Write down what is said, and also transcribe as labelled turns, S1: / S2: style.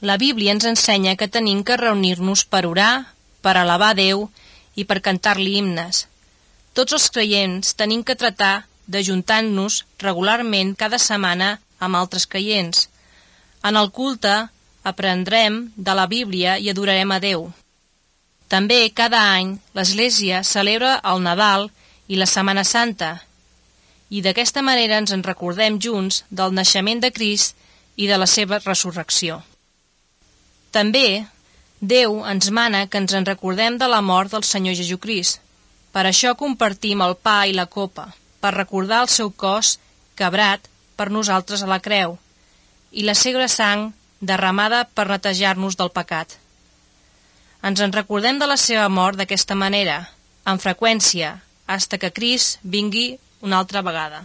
S1: La Bíblia ens ensenya que tenim que reunir-nos per orar, per alabar Déu i per cantar-li himnes. Tots els creients tenim que tratar d'ajuntar-nos regularment cada setmana amb altres creients. En el culte aprendrem de la Bíblia i adorarem a Déu. També cada any l'Església celebra el Nadal i la Setmana Santa, i d'aquesta manera ens en recordem junts del naixement de Crist i de la seva resurrecció. També Déu ens mana que ens en recordem de la mort del Senyor Jesucrist. Per això compartim el pa i la copa, per recordar el seu cos quebrat per nosaltres a la creu i la seva sang derramada per netejar-nos del pecat. Ens en recordem de la seva mort d'aquesta manera, amb freqüència, fins que Crist vingui una altra vegada.